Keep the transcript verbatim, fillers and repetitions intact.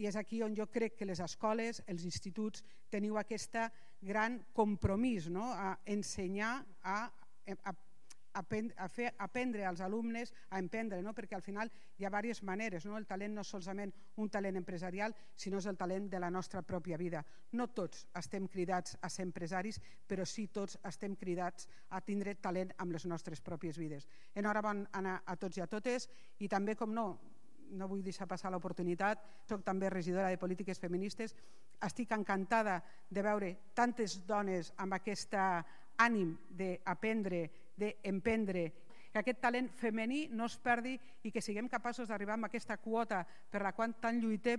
I és aquí on jo crec que les escoles, els instituts, teniu aquest gran compromís, no? A ensenyar, a, a, a fer aprendre als alumnes a emprendre, no? Perquè al final hi ha diverses maneres, no? El talent no és solament un talent empresarial, sinó és el talent de la nostra pròpia vida. No tots estem cridats a ser empresaris, però sí tots estem cridats a tindre talent amb les nostres pròpies vides. Enhorabona a tots i a totes, i també, com no, no vull deixar passar l'oportunitat, soc també regidora de polítiques feministes, estic encantada de veure tantes dones amb aquest ànim d'aprendre, d'emprendre, que aquest talent femení no es perdi i que siguem capaços d'arribar a aquesta quota per la qual tant lluitem